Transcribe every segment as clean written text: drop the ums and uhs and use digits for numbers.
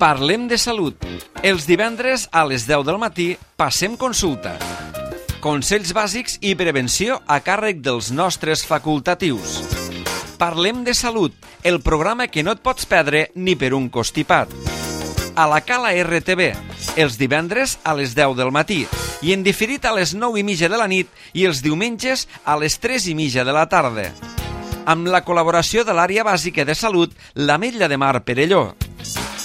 Parlem de salut. Els divendres a les 10 del matí passem consulta. Consells bàsics i prevenció a càrrec dels nostres facultatius. Parlem de salut, el programa que no et pots perdre ni per un costipat. A la Cala RTV, els divendres a les 10 del matí i en diferit a les 9:30 de la nit i els diumenges a les 3:30 de la tarda. Amb la col·laboració de l'àrea bàsica de salut, l'Ametlla de Mar Perelló.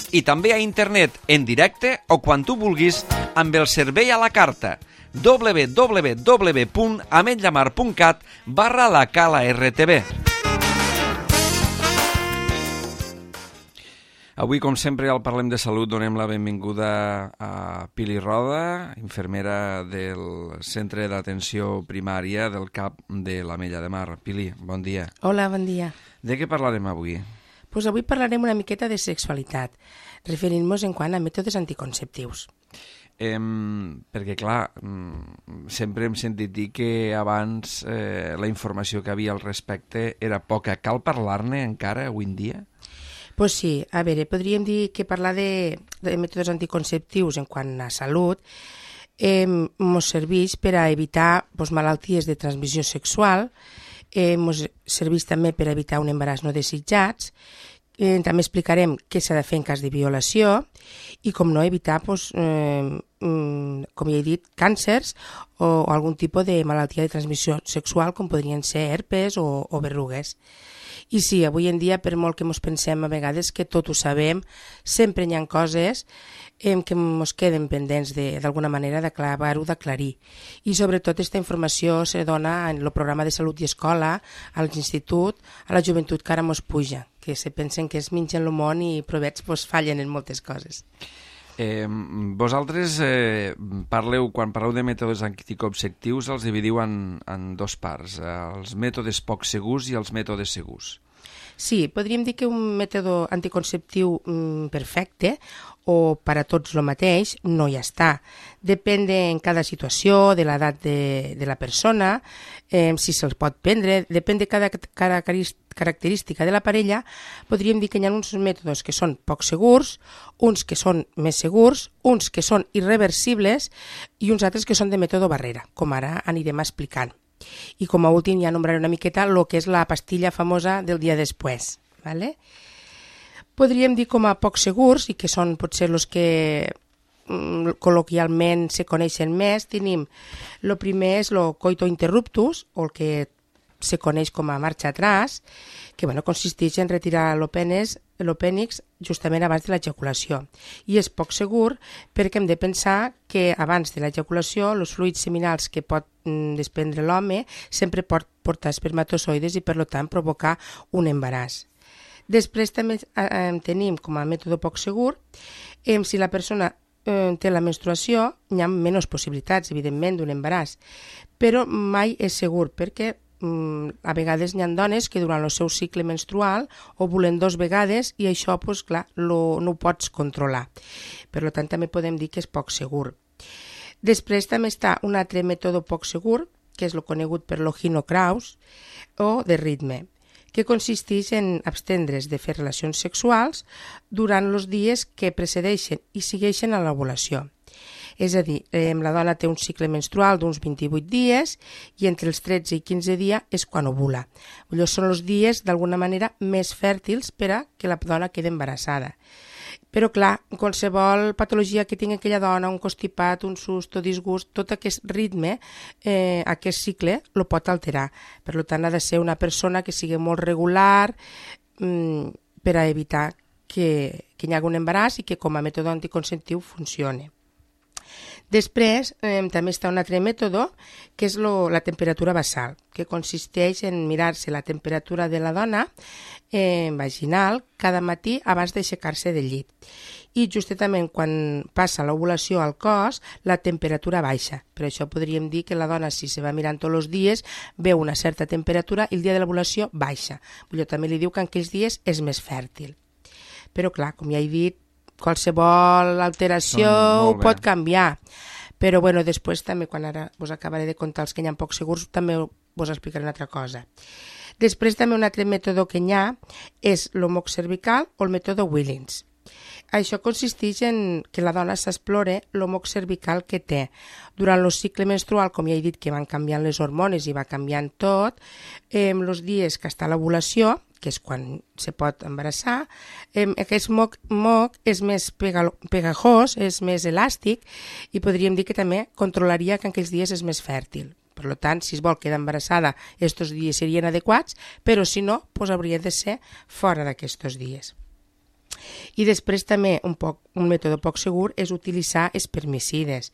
I també a internet, en directe o quan tu vulguis, amb el servei a la carta www.ametllamar.cat/la Cala RTV. Avui, com sempre, al Parlem de Salut donem la benvinguda a Pili Roda, infermera del Centre d'Atenció Primària del CAP de l'Ametlla de Mar. Pili, bon dia. Hola, bon dia. De què parlarem avui? Pues avui parlarem una miqueta de sexualitat, referint-nos en quant a mètodes anticonceptius. Perquè, clar, sempre hem sentit dir que abans la informació que havia al respecte era poca. Cal parlar-ne encara avui en dia? Pues sí, a veure, podríem dir que parlar de mètodes anticonceptius en quant a salut ens serveix per a evitar malalties de transmissió sexual, ens serveix també per a evitar un embaràs no desitjats, també explicarem què s'ha de fer en cas de violació i, com no, evitar, com ja he dit, càncers o algun tipus de malaltia de transmissió sexual com podrien ser herpes o berrugues. I sí, avui en dia, per molt que ens pensem a vegades que tot ho sabem, sempre hi ha coses que ens queden pendents d'alguna manera d'acabar-ho d'aclarir. I sobretot aquesta informació se dona en el programa de salut i escola, a l'institut, a la joventut que ara ens puja, que se pensen que es mengen el món i provets fallen en moltes coses. Vosaltres quan parleu de mètodes anticonceptius els dividiu en dos parts, els mètodes poc segurs i els mètodes segurs. Sí, podríem dir que un mètode anticonceptiu perfecte o per a tots el mateix no hi està. Depèn en cada situació, de l'edat de la persona, si se'ls pot prendre, depèn de cada característica de la parella. Podríem dir que hi ha uns mètodes que són poc segurs, uns que són més segurs, uns que són irreversibles i uns altres que són de mètode barrera, com ara anirem explicant. I com a últim ja nombraré una miqueta el que és la pastilla famosa del dia després. ¿Vale? Podríem dir com a poc segurs, i que són potser els que col·loquialment se coneixen més, tenim el primer és el coito interruptus, o el que se coneix com a marxa atràs, que consisteix en retirar l'opènix justament abans de l'ejaculació. I és poc segur perquè hem de pensar que abans de l'ejaculació els fluids seminals que pot desprendre l'home sempre pot portar espermatozoides i per tant provocar un embaràs. Després també tenim com a mètode poc segur si la persona té la menstruació, hi ha menys possibilitats, evidentment, d'un embaràs, però mai és segur perquè a vegades hi ha dones que durant el seu cicle menstrual ovulen 2 vegades i això, clar, no ho pots controlar. Per tant, també podem dir que és poc segur. Després també està un altre mètode poc segur, que és el conegut per l'Ogino Kraus, o de ritme, que consisteix en abstendre's de fer relacions sexuals durant els dies que precedeixen i segueixen a l'ovulació. És a dir, la dona té un cicle menstrual d'uns 28 dies i entre els 13 i 15 dies és quan ovula. Llavors són els dies, d'alguna manera, més fèrtils per a que la dona quedi embarassada. Però, clar, qualsevol patologia que tingui aquella dona, un constipat, un susto, disgust, tot aquest ritme, aquest cicle, el pot alterar. Per tant, ha de ser una persona que sigui molt regular per a evitar que hi hagi un embaràs i que com a mètode anticonceptiu funcioni. Després també està un altre mètode que és la temperatura basal, que consisteix en mirar-se la temperatura de la dona vaginal cada matí abans d'aixecar-se del llit. I justament quan passa l'ovulació al cos, la temperatura baixa. Per això podríem dir que la dona, si se va mirant tots els dies, veu una certa temperatura i el dia de l'ovulació baixa. També li diu que en aquells dies és més fèrtil. Però clar, com ja he dit, qualsevol alteració ho pot canviar. Però després també, quan ara us acabaré de contar els que hi ha poc segurs, també us explicaré una altra cosa. Després també un altre mètode que hi ha és l'homoc cervical o el mètode Willings. Això consisteix en que la dona s'explore l'homog cervical que té. Durant el cicle menstrual, com ja he dit que van canviant les hormones i va canviant tot, els dies que està l'ovulació, que és quan se pot embarassar, aquest moc és més pegajós, és més elàstic i podríem dir que també controlaria que en aquells dies és més fèrtil. Per tant, si es vol quedar embarassada, aquests dies serien adequats, però si no, doncs hauria de ser fora d'aquests dies. I després també un mètode poc segur és utilitzar espermicides.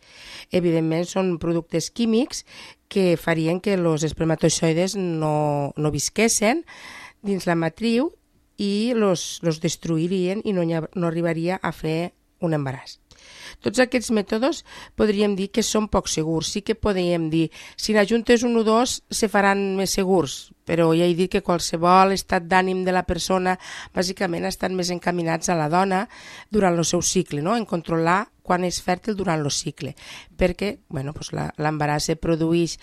Evidentment són productes químics que farien que els espermatozoides no visquessin dins la matriu i los destruirien i no arribaria a fer un embaràs. Tots aquests mètodes podríem dir que són poc segurs. Sí que podríem dir, si n'ajuntes un o dos, se faran més segurs, però ja he dit que qualsevol estat d'ànim de la persona bàsicament estan més encaminats a la dona durant el seu cicle, no? En controlar quan és fèrtil durant el cicle, perquè l'embaràs se produeix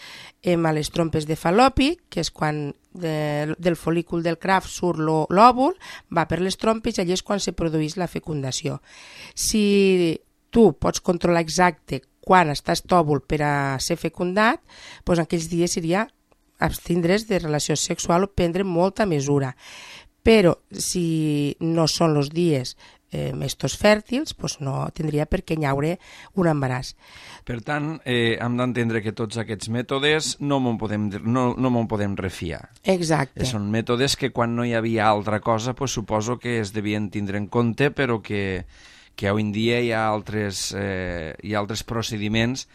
a les trompes de Fal·lopi, que és quan del folícul del Kraft surt l'òvul, va per les trompes i allà és quan se produeix la fecundació. Si tu pots controlar exacte quan estàs tòvul per a ser fecundat, doncs en aquells dies seria abstindre's de relació sexual o prendre molta mesura. Però si no són els dies estos fèrtils, doncs no tindria per què hi haure un embaràs. Per tant, hem d'entendre que tots aquests mètodes no me'n podem refiar. Exacte. Són mètodes que quan no hi havia altra cosa, doncs suposo que es devien tindre en compte, però que avui en dia hi ha altres procediments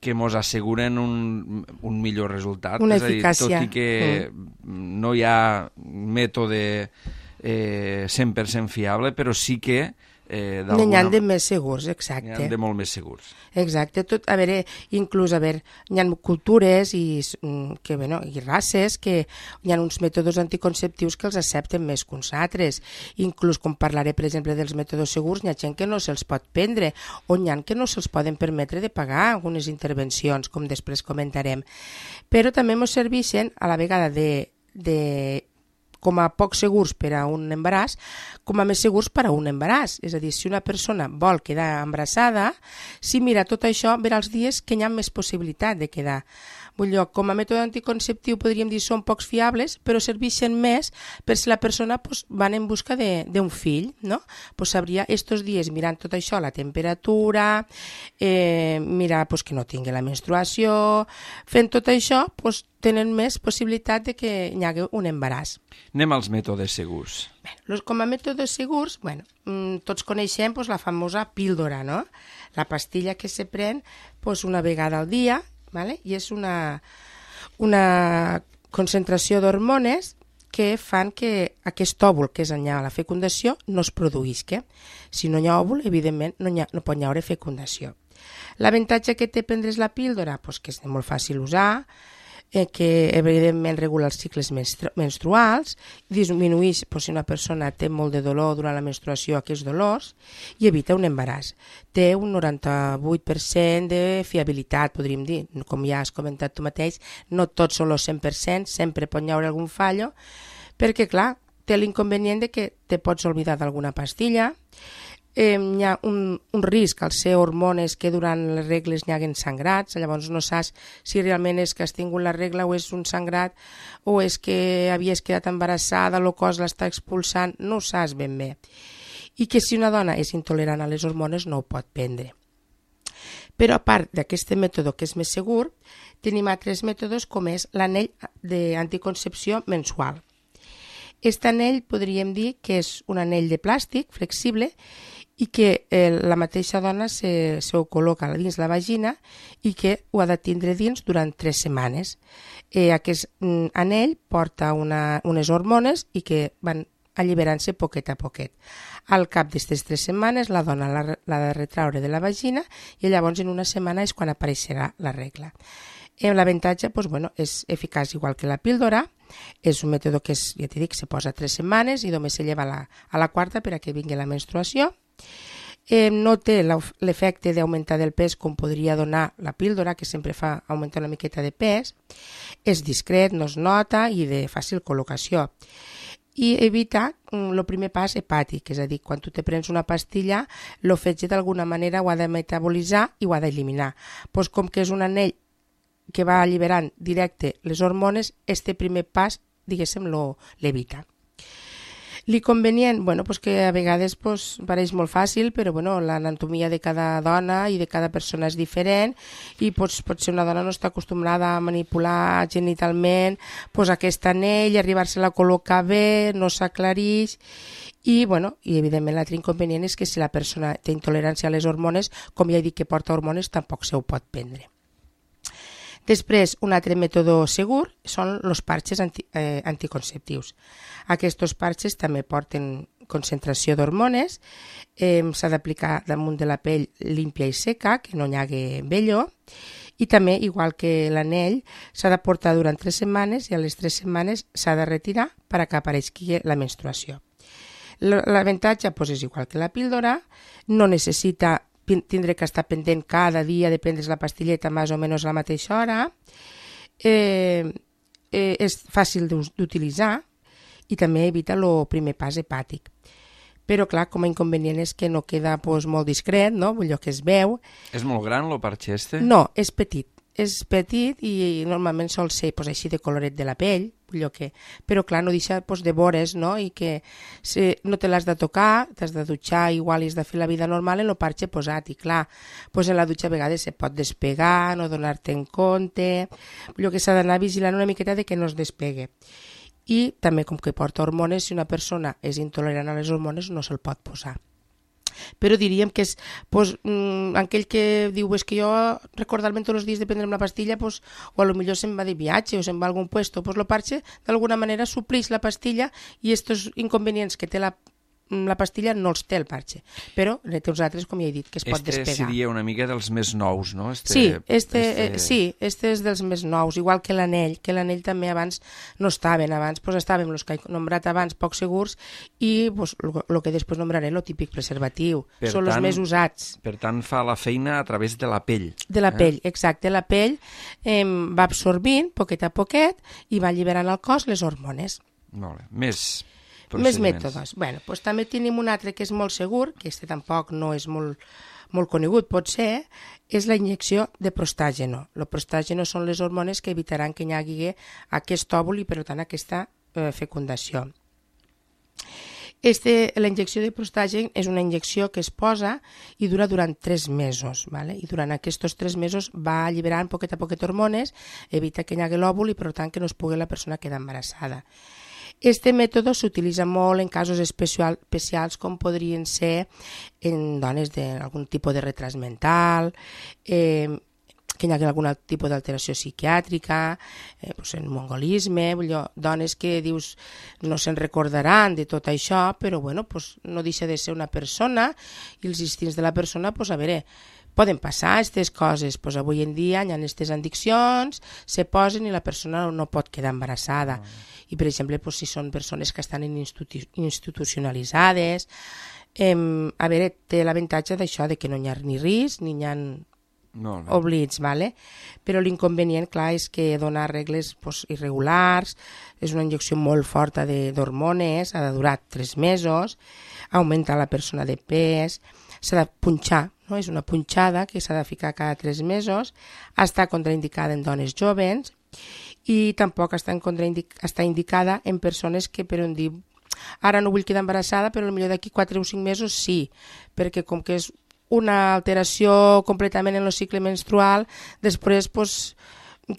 que ens asseguren un millor resultat. Una eficàcia. Tot i que no hi ha mètode 100% fiable, però sí que n'hi ha de més segurs, exacte. N'hi ha de molt més segurs. Exacte. Inclús hi ha cultures i races que hi ha uns mètodes anticonceptius que els accepten més que uns altres. Inclús, com parlaré, per exemple, dels mètodes segurs, hi ha gent que no se'ls pot prendre, o hi ha que no se'ls poden permetre de pagar algunes intervencions, com després comentarem. Però també ens serveixen a la vegada com a poc segurs per a un embaràs, com a més segurs per a un embaràs. És a dir, si una persona vol quedar embarassada, si mira tot això, verà els dies que hi ha més possibilitat de quedar. Com a mètode anticonceptiu podríem dir són pocs fiables, però serveixen més per si la persona va en busca d'un fill, no? Sabria estos dies mirant tot això, la temperatura, mirar que no tingui la menstruació, fent tot això, tenen més possibilitat de que hi hagi un embaràs. Anem als mètodes segurs. Com a mètodes segurs, tots coneixem la famosa píldora, no? La pastilla que se pren una vegada al dia, i és una concentració d'hormones que fan que aquest òvul que és allà a la fecundació no es produïsca. Si no hi ha òvul, evidentment no pot haver fecundació. L'avantatge que té prendre's la píldora, que és molt fàcil usar, que evidentment regula els cicles menstruals, disminueix si una persona té molt de dolor durant la menstruació aquests dolors i evita un embaràs. Té un 98% de fiabilitat, podríem dir. Com ja has comentat tu mateix, no tots són el 100%, sempre pot haver algun fallo, perquè clar, té l'inconvenient de que te pots oblidar d'alguna pastilla. Hi ha un risc al ser hormones que durant les regles n'hi haguen sangrats, llavors no saps si realment és que has tingut la regla o és un sangrat o és que havies quedat embarassada, el cos l'està expulsant, no ho saps ben bé. I que si una dona és intolerant a les hormones no ho pot prendre. Però a part d'aquest mètode que és més segur, tenim altres mètodes com és l'anell d'anticoncepció mensual. Aquest anell podríem dir que és un anell de plàstic flexible i que la mateixa dona ho col·loca dins la vagina i que ho ha de tindre dins durant 3 setmanes. Aquest anell porta unes hormones i que van alliberant-se poquet a poquet. Al cap d'aquestes 3 setmanes la dona l'ha de retraure de la vagina i llavors en una setmana és quan apareixerà la regla. L'avantatge és eficaç igual que la píldora, és un mètode que ja t'he dit, se posa 3 setmanes i només se lleva a la quarta per a que vingui la menstruació. No té l'efecte d'augmentar del pes com podria donar la píldora, que sempre fa augmentar una miqueta de pes. És discret, no es nota i de fàcil col·locació. i evitar el primer pas hepàtic, és a dir, quan tu te prens una pastilla, el fetge d'alguna manera ho ha de metabolitzar i ho ha d'eliminar. Pues com que és un anell que va alliberant directe les hormones, este primer pas, diguéssim, l'evita. L'inconvenient, pues que a vegades pareix molt fàcil, però l'anatomia de cada dona i de cada persona és diferent i potser una dona no està acostumada a manipular genitalment aquest anell, arribar-se-la a col·locar bé, no s'aclarix i evidentment l'altre inconvenient és que si la persona té intolerància a les hormones, com ja he dit que porta hormones, tampoc se ho pot prendre. Després, un altre mètode segur són els parxes anticonceptius. Aquests parxes també porten concentració d'hormones, s'ha d'aplicar damunt de la pell límpia i seca, que no hi hagi vello, i també, igual que l'anell, s'ha de portar durant 3 setmanes i a les 3 setmanes s'ha de retirar per que apareixi la menstruació. L'avantatge és igual que la píldora, no necessita tindre que estar pendent cada dia, depèn de la pastilleta, més o menys a la mateixa hora, és fàcil d'utilitzar i també evita el primer pas hepàtic. Però, clar, com a inconvenient és que no queda molt discret, no? Allò que es veu. És molt gran, el parxe este? No, és petit. És petit i normalment sol ser així de coloret de la pell, però clar, no deixa de vores, no? I que no te l'has de tocar, t'has de dutxar igual i has de fer la vida normal en el parxe posat i clar, en la dutxa a vegades se pot despegar, no donar-te en compte, allò que s'ha d'anar vigilant una miqueta de que no es despegue. I també com que porta hormones, si una persona és intolerant a les hormones no se'l pot posar. Però diríem que és aquell que diu és que jo recordar-me tots els dies de prendre'm la pastilla o potser se'n va de viatge o se'n va a algun puesto, el parxe d'alguna manera suplix la pastilla i aquests inconvenients que té la pastilla no els té el parxe, però té uns altres, com ja he dit, que es pot despegar. Este seria una mica dels més nous, no? Sí, este és dels més nous, igual que l'anell també abans no estaven, abans estaven els que he nombrat abans poc segurs i el que després nombraré, el típic preservatiu, són els més usats. Per tant, fa la feina a través de la pell. De la pell, exacte, la pell va absorbint poquet a poquet i va alliberant al cos les hormones. Molt bé, més mètodes. També tenim un altre que és molt segur, que tampoc no és molt conegut, potser, és la injecció de prostàgeno. El prostàgeno són les hormones que evitaran que hi hagi aquest òvul i, per tant, aquesta fecundació. La injecció de prostàgen és una injecció que es posa i dura durant 3 mesos. I durant aquests 3 mesos va alliberant poquet a poquet hormones, evita que hi hagi l'òvul i, per tant, que no es pugui la persona quedar embarassada. Este mètode s'utilitza molt en casos especials com podrien ser en dones d'algun tipus de retras mental, que hi hagi algun tipus d'alteració psiquiàtrica, en mongolisme, dones que dius no se'n recordaran de tot això, però no deixa de ser una persona i els instints de la persona, poden passar aquestes coses, avui en dia hi ha aquestes addiccions, se posen i la persona no pot quedar embarassada. I, per exemple, si són persones que estan institucionalitzades, té l'avantatge d'això, de que no hi ha ni risc ni hi ha oblits, però l'inconvenient, clar, és que dona regles irregulars, és una injecció molt forta d'hormones, ha de durar 3 mesos, augmenta la persona de pes, s'ha de punxar, és una punxada que s'ha de ficar cada 3 mesos, està contraindicada en dones joves i tampoc està indicada en persones que per on dir ara no vull quedar embarassada però potser d'aquí 4 o 5 mesos sí, perquè com que és una alteració completament en el cicle menstrual, després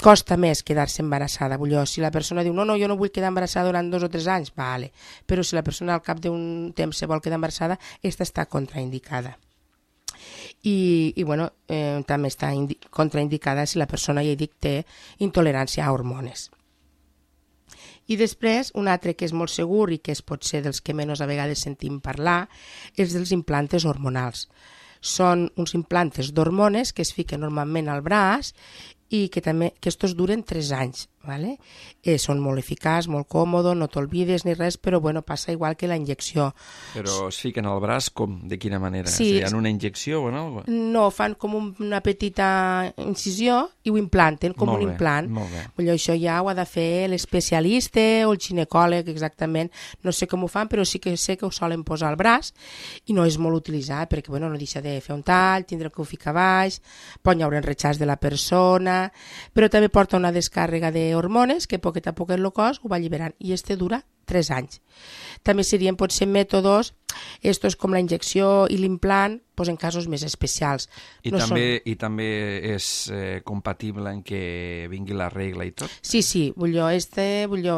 costa més quedar-se embarassada. Si la persona diu no, jo no vull quedar embarassada durant 2 o 3 anys, però si la persona al cap d'un temps se vol quedar embarassada, aquesta està contraindicada. I també està contraindicada si la persona, ja he dit, té intolerància a hormones. I després, un altre que és molt segur i que és potser dels que menys a vegades sentim parlar, és dels implantes hormonals. Són uns implantes d'hormones que es fiquen normalment al braç i que també que estos duren 3 anys. ¿Vale? Són molt eficaç, molt còmode, no t'olvides ni res, però bueno, passa igual que la injecció. Però es fiquen al braç com? De quina manera? Sí, en una injecció o no? No, fan com una petita incisió i ho implanten com un implant. Molt bé. Vull dir, això ja ho ha de fer l'especialista o el ginecòleg exactament. No sé com ho fan, però sí que sé que ho solen posar al braç i no és molt utilitzat perquè bueno, no deixa de fer un tall, tindre que ho ficar baix, pot hi haure enretxats de la persona, però també porta una descàrrega d'hormones que poquet a poquet el cos ho va alliberant i este dura 3 anys. També serien potser mètodes estos com la injecció i l'implant pues en casos més especials. I també és compatible en què vingui la regla i tot? Sí, vull dir,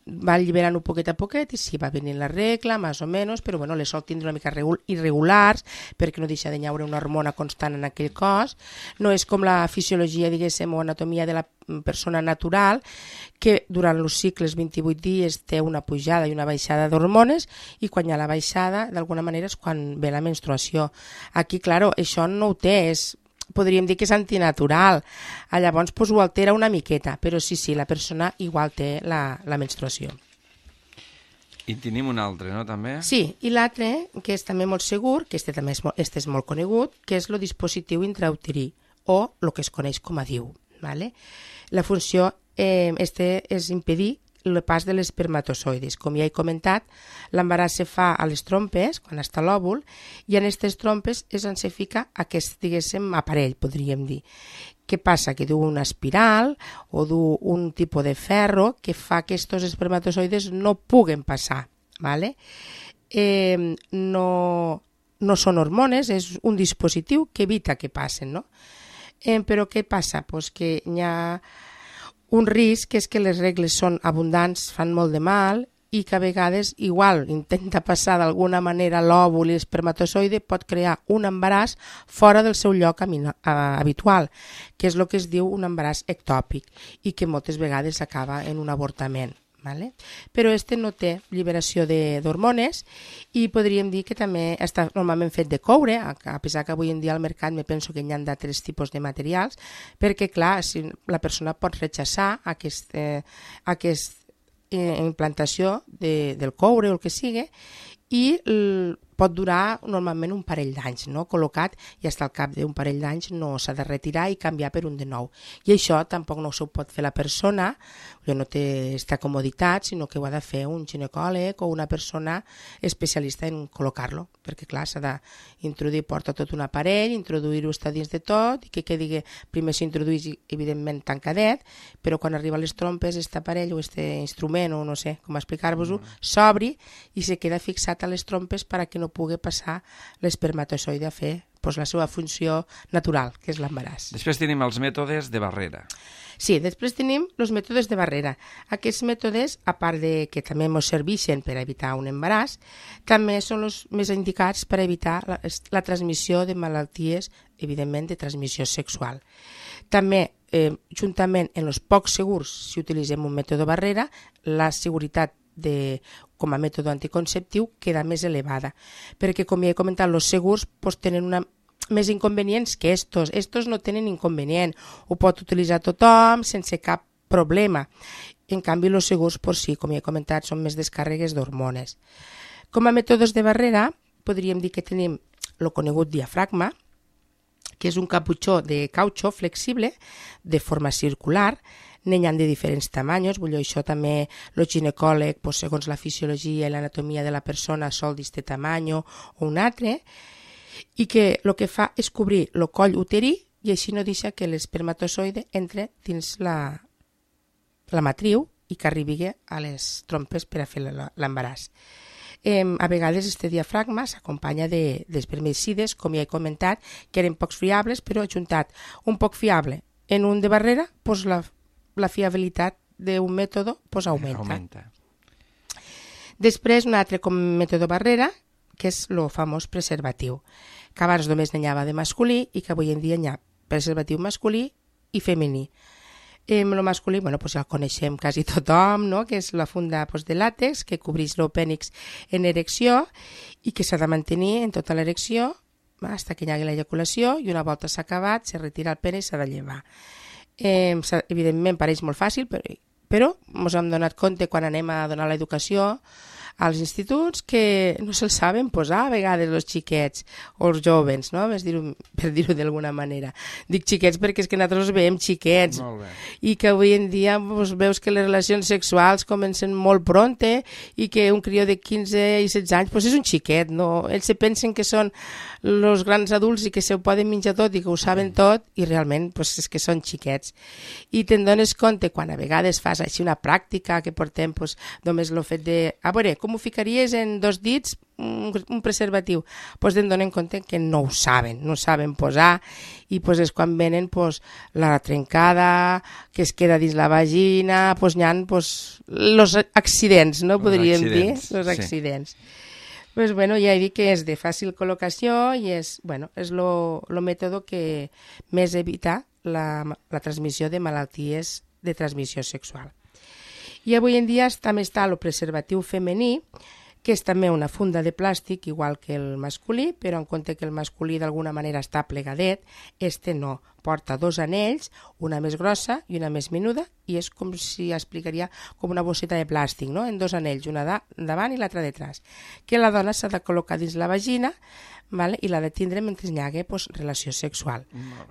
va alliberant un poquet a poquet i sí, va venint la regla, més o menys, però bueno, les sol tindre una mica irregulars perquè no deixa de haure una hormona constant en aquell cos. No és com la fisiologia, diguéssim, o anatomia de la persona natural, que durant els cicles 28 dies té una pujada i una baixada d'hormones i quan hi ha la baixada, d'alguna manera, és quan ve la menstruació. Aquí, claro, això no ho té, podríem dir que és antinatural. Llavors pues, ho altera una miqueta, però sí, la persona igual té la menstruació. I tenim un altre, no, també? Sí, i l'altre, que és també molt segur, que este és molt conegut, que és el dispositiu intrauterí, o el que es coneix com a DIU. ¿Vale? La funció és impedir el pas de les espermatozoides. Com ja he comentat, l'embaràs se fa a les trompes, quan està l'òvul, i en aquestes trompes és on se fica aquest, diguéssim, aparell, podríem dir. Què passa? Que du una espiral o du un tipus de ferro que fa que aquests espermatozoides no puguen passar. ¿Vale? No són hormones, és un dispositiu que evita que passen, no? Però què passa? Pues que hi ha un risc, que és que les regles són abundants, fan molt de mal i que a vegades igual intenta passar d'alguna manera l'òvul i l'espermatozoide, pot crear un embaràs fora del seu lloc habitual, que és el que es diu un embaràs ectòpic i que moltes vegades acaba en un avortament. ¿Vale? Però este no té lliberació d'hormones i podríem dir que també està normalment fet de coure, a pesar que avui en dia al mercat me penso que hi ha d'altres tipus de materials, perquè clar, si la persona pot rechaçar aquesta implantació del coure o el que sigui i pot durar normalment un parell d'anys, no? Col·locat i fins al cap d'un parell d'anys no s'ha de retirar i canviar per un de nou. I això tampoc no s'ho pot fer la persona, no té aquesta comoditat, sinó que ho ha de fer un ginecòleg o una persona especialista en col·locar-lo, perquè clar, s'ha d'introduir, porta tot un aparell, introduir-ho està dins de tot, i que quedi, primer s'introduís evidentment tancadet, però quan arriba a les trompes, aquest aparell o aquest instrument, o no sé com explicar-vos-ho, s'obri i se queda fixat a les trompes perquè no pugui passar l'espermatozoide a fer la seva funció natural, que és l'embaràs. Després tenim els mètodes de barrera. Sí, després tenim els mètodes de barrera. Aquests mètodes, a part de que també ens serveixen per evitar un embaràs, també són els més indicats per evitar la transmissió de malalties, evidentment, de transmissió sexual. També, juntament amb els pocs segurs, si utilitzem un mètode barrera, la seguretat com a mètode anticonceptiu queda més elevada, perquè com ja he comentat, els segurs tenen més inconvenients que estos. Estos no tenen inconvenient, ho pot utilitzar tothom sense cap problema. En canvi, els segurs, sí, com ja he comentat, són més descàrregues d'hormones. Com a mètodes de barrera, podríem dir que tenim el conegut diafragma, que és un caputxó de cautxó flexible de forma circular. N'hi ha de diferents tamanys, vull dir, això també el ginecòleg, segons la fisiologia i l'anatomia de la persona, sol d'aquest tamany o un altre, i que el que fa és cobrir el coll uterí i així no deixa que l'espermatozoide entre dins la matriu i que arribi a les trompes per a fer l'embaràs. A vegades aquest diafragma s'acompanya d'espermicides, com ja he comentat, que eren poc fiables, però ajuntat un poc fiable en un de barrera, la fiabilitat d'un mètode augmenta. Després, un altre com mètode barrera, que és el famós preservatiu, que abans només n'hi havia de masculí i que avui en dia n'hi ha preservatiu masculí i femení. El masculí, ja el coneixem quasi tothom, no? Que és la funda de làtex que cobreix l'opènix en erecció i que s'ha de mantenir en tota l'erecció fins que hi hagi l'ejaculació i una volta s'ha acabat, se retira el pene i s'ha de llevar. Evidentment pareix molt fàcil, però ens hem donat compte quan anem a donar l'educació als instituts que no se'ls saben posar a vegades els xiquets o els joves, no? Per dir-ho d'alguna manera. Dic xiquets perquè és que nosaltres els veiem xiquets i que avui en dia veus que les relacions sexuals comencen molt pronte i que un crió de 15 i 16 anys és un xiquet, no? Ells se pensen que són els grans adults i que se ho poden menjar tot i que ho saben tot i realment és que són xiquets. I te'n dones compte quan a vegades fas així una pràctica que portem només el fet de... A veure, com ho ficaries en 2 dits un preservatiu? Te'n donen compte que no ho saben posar i és quan venen la trencada que es queda dins la vagina, n'hi ha els accidents, no podríem dir? Els accidents. Ja he dit que és de fàcil col·locació i és el mètode que més evita la transmissió de malalties de transmissió sexual. I avui en dia també està el preservatiu femení, que és també una funda de plàstic, igual que el masculí, però en compte que el masculí d'alguna manera està plegadet, no. Porta 2 anells, una més grossa i una més menuda, i és com si explicaria com una bosseta de plàstic, no? En 2 anells, una davant i l'altra detrás, que la dona s'ha de col·locar dins la vagina, i l'ha de tindre mentre hi hagi relació sexual.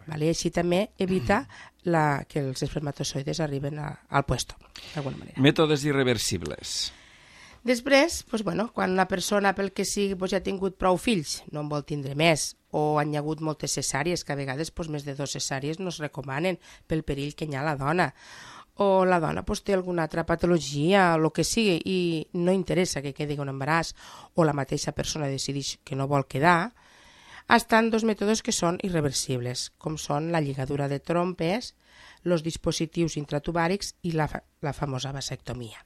I així també evita que els espermatozoides arriben al puesto, d'alguna manera. Mètodes irreversibles. Després, quan una persona pel que sigui ja ha tingut prou fills, no en vol tindre més, o han hi hagut moltes cesàries, que a vegades més de 2 cesàries no es recomanen pel perill que hi ha a la dona, o la dona té alguna altra patologia, o el que sigui, i no interessa que quedi un embaràs, o la mateixa persona decideix que no vol quedar, estan 2 mètodes que són irreversibles, com són la lligadura de trompes, els dispositius intratubàrics i la famosa vasectomia.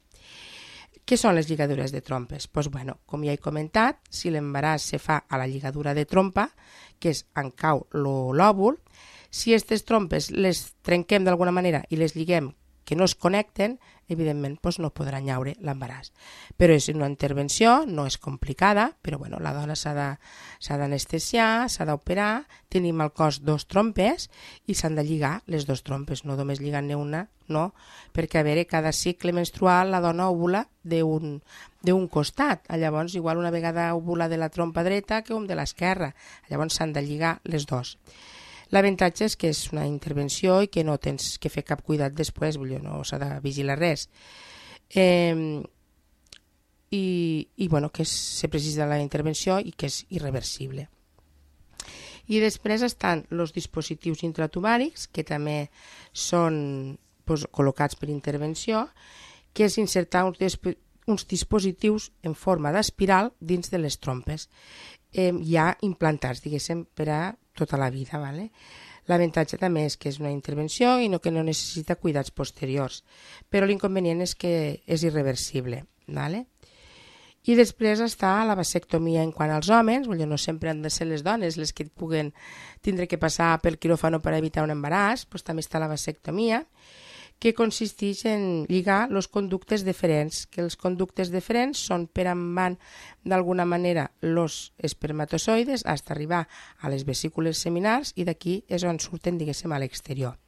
Què són les lligadures de trompes? Com ja he comentat, si l'embaràs se fa a la lligadura de trompa, que és on cau l'òvul, si aquestes trompes les trenquem d'alguna manera i les lliguem que no es connecten, evidentment no podrà llaure l'embaràs. Però és una intervenció, no és complicada, però la dona s'ha d'anestesiar, s'ha d'operar, tenim al cos 2 trompes i s'han de lligar les 2 trompes, no només lligant-ne una, no, perquè a veure, cada cicle menstrual la dona ovula d'un costat, llavors igual una vegada ovula de la trompa dreta que un de l'esquerra, llavors s'han de lligar les 2. L'avantatge és que és una intervenció i que no tens que fer cap cuidat després, no s'ha de vigilar res. Que se precisa la intervenció i que és irreversible. I després estan els dispositius intratubàrics, que també són col·locats per intervenció, que és insertar uns dispositius en forma d'espiral dins de les trompes, ja implantats, diguéssim, per a tota la vida. L'avantatge també és que és una intervenció i que no necessita cuidats posteriors, però l'inconvenient és que és irreversible. I després està la vasectomia en quant als homes, no sempre han de ser les dones les que puguen tindre que passar pel quiròfano per evitar un embaràs, també està la vasectomia, que consisteix en lligar els conductes deferents, que els conductes deferents són per on van d'alguna manera els espermatozoides fins a arribar a les vesícules seminals i d'aquí és on surten, diguéssim, a l'exterior.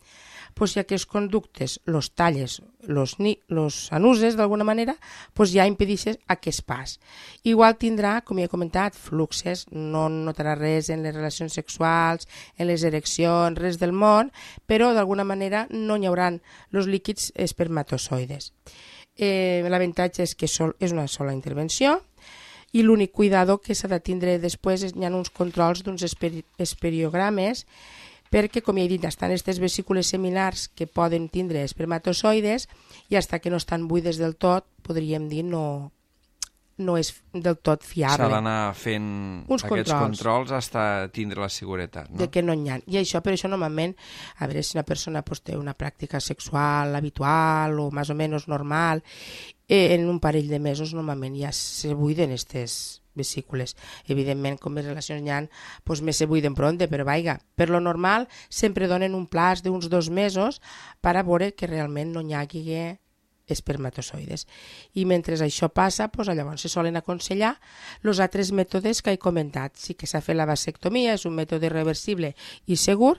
Si aquests conductes los talles, los anuses d'alguna manera, ja impedeixes aquest pas. Igual tindrà, com ja he comentat, fluxes, no notarà res en les relacions sexuals, en les ereccions, res del món, però d'alguna manera no hi haurà els líquids espermatozoides. L'avantatge és que és una sola intervenció i l'únic cuidado que s'ha de tindre després hi ha uns controls d'uns esperiogrames perquè, com he dit, estan aquestes vesícules seminars que poden tindre espermatozoides i fins que no estan buides del tot, podríem dir, no és del tot fiable. S'ha d'anar fent aquests controls fins a tindre la seguretat, no? De que no n'hi ha. I per això normalment, a veure si una persona té una pràctica sexual habitual o més o menys normal, en un parell de mesos normalment ja se buiden aquestes vesícules. Evidentment, com més relacions hi ha, més se buiden pronte, però per lo normal sempre donen un plaç d'uns 2 mesos per a veure que realment no hi hagi espermatozoides. I mentre això passa, llavors se solen aconsellar els altres mètodes que he comentat. Sí que s'ha fet la vasectomia, és un mètode reversible i segur,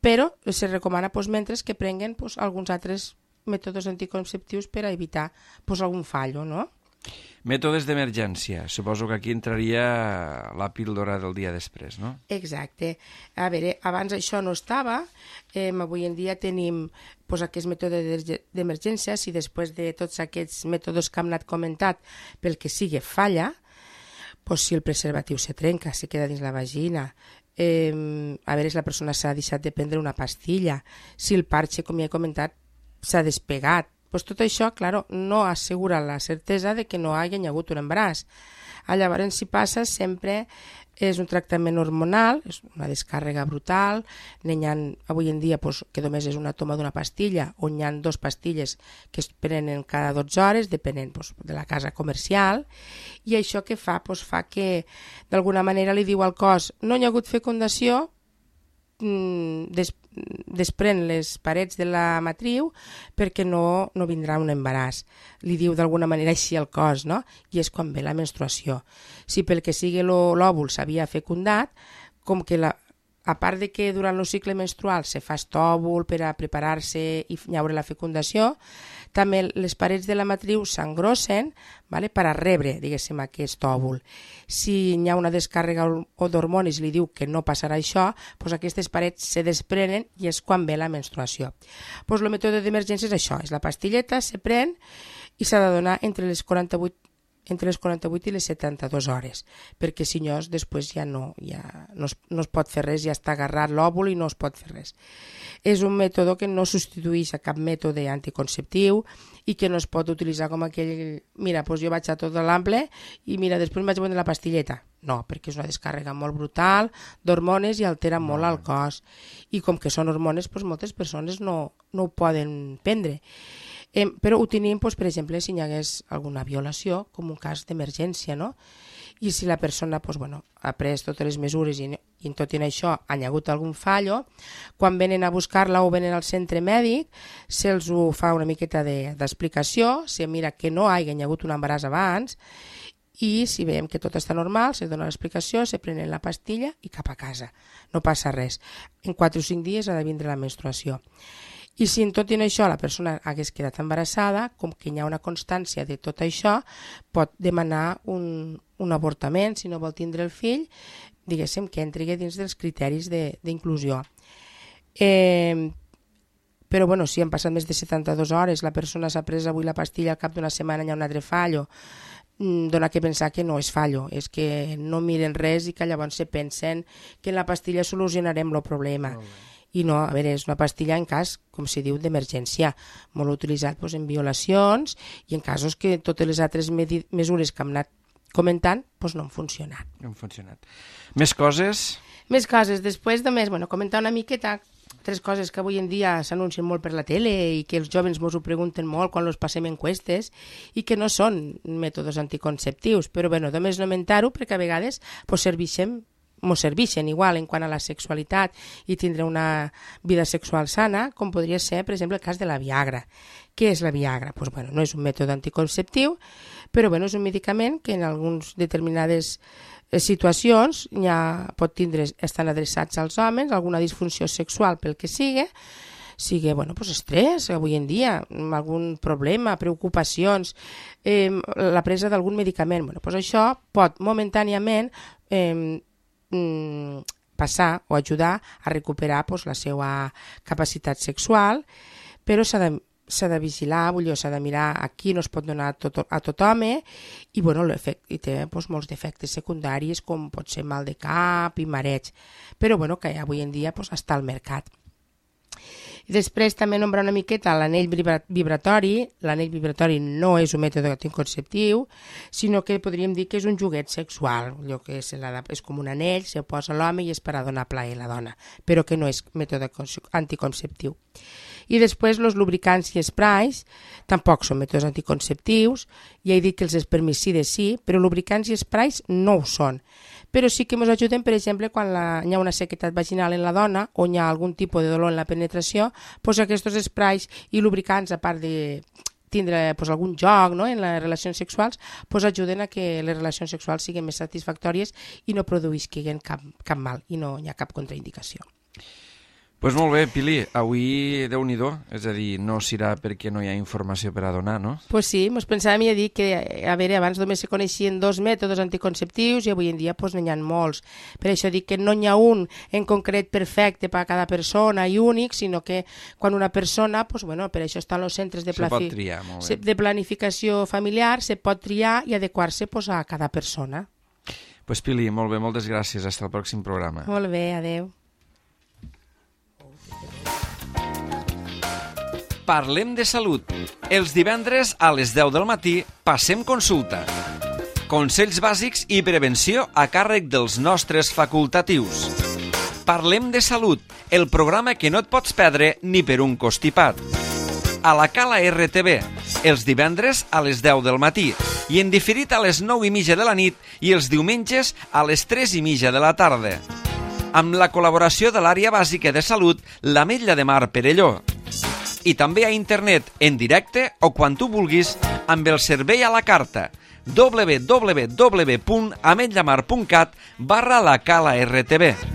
però se recomana mentre que prenguen alguns altres mètodes anticonceptius per a evitar algun fallo, no? Mètodes d'emergència. Suposo que aquí entraria la píldora del dia després, no? Exacte. A veure, abans això no estava. Avui en dia tenim aquest mètode d'emergència. Si després de tots aquests mètodes que hem anat comentant, pel que sigui falla, si el preservatiu se trenca, se queda dins la vagina, a veure si la persona s'ha deixat de prendre una pastilla, si el parche, com ja he comentat, s'ha despegat, tot això, claro, no assegura la certesa de que no hagi hagut un embaràs. Llavors, si passa, sempre és un tractament hormonal, és una descàrrega brutal, avui en dia que només és una toma d'una pastilla, on hi ha 2 pastilles que es prenen cada 12 hores, depenent de la casa comercial, i això que fa? Fa que d'alguna manera li diu al cos no hi ha hagut fecundació, desprèn les parets de la matriu perquè no vindrà un embaràs. Li diu d'alguna manera així al cos, no? I és quan ve la menstruació. Si pel que sigui l'òvul s'havia fecundat, com que a part de que durant el cicle menstrual se fa estòvul per a preparar-se i llaure la fecundació, també les parets de la matriu s'engrossen per a rebre, diguéssim, aquest òvul. Si hi ha una descàrrega d'hormones i li diu que no passarà això, aquestes parets se desprenen i és quan ve la menstruació. El mètode d'emergència és això, és la pastilleta, se pren i s'ha de donar entre les 48 i les 72 hores, perquè si no, després ja no es pot fer res, ja està agarrat l'òvul i no es pot fer res. És un mètode que no substitueix a cap mètode anticonceptiu i que no es pot utilitzar com aquell, mira, jo vaig a tot l'ample i mira, després vaig prendre la pastilleta. No, perquè és una descàrrega molt brutal d'hormones i altera molt el cos. I com que són hormones, moltes persones no ho poden prendre. Però ho tenim, per exemple, si hi hagués alguna violació, com un cas d'emergència, no? I si la persona ha pres totes les mesures i tot i això ha hagut algun fallo, quan venen a buscar-la o venen al centre mèdic, se'ls ho fa una miqueta d'explicació, se mira que no hi hagi hagut un embaràs abans, i si veiem que tot està normal, se dona l'explicació, se prenen la pastilla i cap a casa. No passa res. En 4 o 5 dies ha de vindre la menstruació. I si en tot i això la persona hagués quedat embarassada, com que hi ha una constància de tot això, pot demanar un avortament, si no vol tindre el fill, diguéssim que entri dins dels criteris d'inclusió. Però si han passat més de 72 hores, la persona s'ha pres avui la pastilla, al cap d'una setmana hi ha un altre fallo, dona que pensar que no és fallo, és que no miren res i que llavors se pensen que en la pastilla solucionarem el problema. I no, a veure, és una pastilla en cas, com se diu, d'emergència, molt utilitzat en violacions i en casos que totes les altres mesures que hem anat comentant no han funcionat. No han funcionat. Més coses? Més coses. Després només comentar una miqueta 3 coses que avui en dia s'anuncien molt per la tele i que els joves ens ho pregunten molt quan els passem enquestes i que no són mètodes anticonceptius, però només lamentar-ho perquè a vegades serveixen igual en quant a la sexualitat i tindre una vida sexual sana, com podria ser, per exemple, el cas de la Viagra. Què és la Viagra? No és un mètode anticonceptiu, però és un medicament que en algunes determinades situacions estan adreçats als homes, alguna disfunció sexual pel que sigui estrès avui en dia, algun problema, preocupacions, la presa d'algun medicament. Això pot momentàniament passar o ajudar a recuperar la seva capacitat sexual, però s'ha de vigilar, s'ha de mirar a qui no es pot donar a tothom i té molts defectes secundaris com pot ser mal de cap i mareig, però que avui en dia està al mercat. I després també nombrar una miqueta l'anell vibratori. L'anell vibratori no és un mètode anticonceptiu, sinó que podríem dir que és un joguet sexual. Allò que és com un anell, se posa l'home i és per a donar plaer a la dona, però que no és mètode anticonceptiu. I després els lubricants i sprays tampoc són mètodes anticonceptius. Ja he dit que els espermicides sí, però lubricants i sprays no ho són. Però sí que ens ajuden, per exemple, quan hi ha una sequedat vaginal en la dona o hi ha algun tipus de dolor en la penetració, aquests sprays i lubricants, a part de tindre algun joc en les relacions sexuals, ajuden a que les relacions sexuals siguin més satisfactòries i no produïsquen cap mal i no hi ha cap contraindicació. Pues molt bé, Pili, avui Déu-n'hi-do, és a dir, no serà perquè no hi ha informació per a donar, no? Pues sí, mos pensàvem a dir que, a veure, abans només se coneixien 2 mètodes anticonceptius i avui en dia pues, n'hi ha molts. Per això dic que no n'hi ha un en concret perfecte per a cada persona i únic, sinó que quan una persona, pues, bueno, per això estan els centres de, pot triar, molt bé. De planificació familiar, se pot triar i adequar-se pues, a cada persona. Pues Pili, molt bé, moltes gràcies. Hasta el pròxim programa. Molt bé, adeu. Parlem de salut. Els divendres a les 10 del matí passem consulta. Consells bàsics i prevenció a càrrec dels nostres facultatius. Parlem de salut, el programa que no et pots perdre ni per un costipat. A la Cala RTV, els divendres a les 10 del matí i en diferit a les 9:30 de la nit i els diumenges a les 3:30 de la tarda. Amb la col·laboració de l'àrea bàsica de salut, l'Ametlla de Mar Perelló. I també a internet, en directe o quan tu vulguis, amb el servei a la carta www.ametllamar.cat/la Cala RTV.